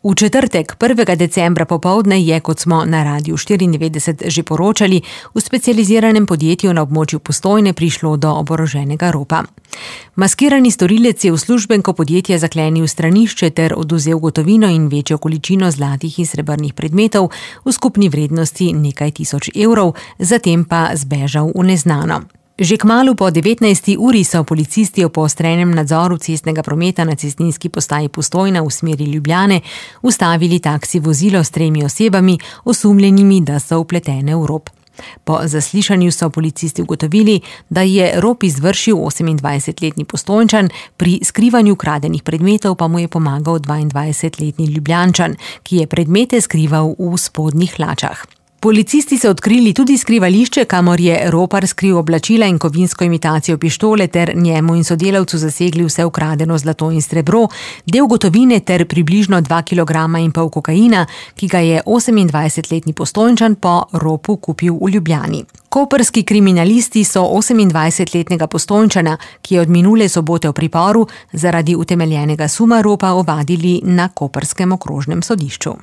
V četrtek, 1. decembra popoldne je, kot smo na Radiu 94 že poročali, v specializiranem podjetju na območju Postojne prišlo do oboroženega ropa. Maskirani storilec je uslužbenko podjetja zaklenil stranišče ter odvzel gotovino in večjo količino zlatih in srebrnih predmetov v skupni vrednosti nekaj tisoč evrov, zatem pa zbežal v neznano. Že kmalu po 19. uri so policisti ob poostrenem nadzoru cestnega prometa na cestninski postaji Postojna v smeri Ljubljane ustavili taksi vozilo s 3 osebami, osumljenimi, da so vpletene v rop. Po zaslišanju so policisti ugotovili, da je rop izvršil 28-letni Postojnčan, pri skrivanju kradenih predmetov pa mu je pomagal 22-letni Ljubljančan, ki je predmete skrival v spodnjih hlačah. Policisti so odkrili tudi skrivališče, kamor je ropar skril oblačila in kovinsko imitacijo pištole ter njemu in sodelavcu zasegli vse ukradeno zlato in srebro, del gotovine ter približno 2,5 kg kokaina, ki ga je 28-letni Postojnčan po ropu kupil v Ljubljani. Koprski kriminalisti so 28-letnega Postojnčana, ki je od minule sobote v priporu, zaradi utemeljenega suma ropa ovadili na koprskem okrožnem sodišču.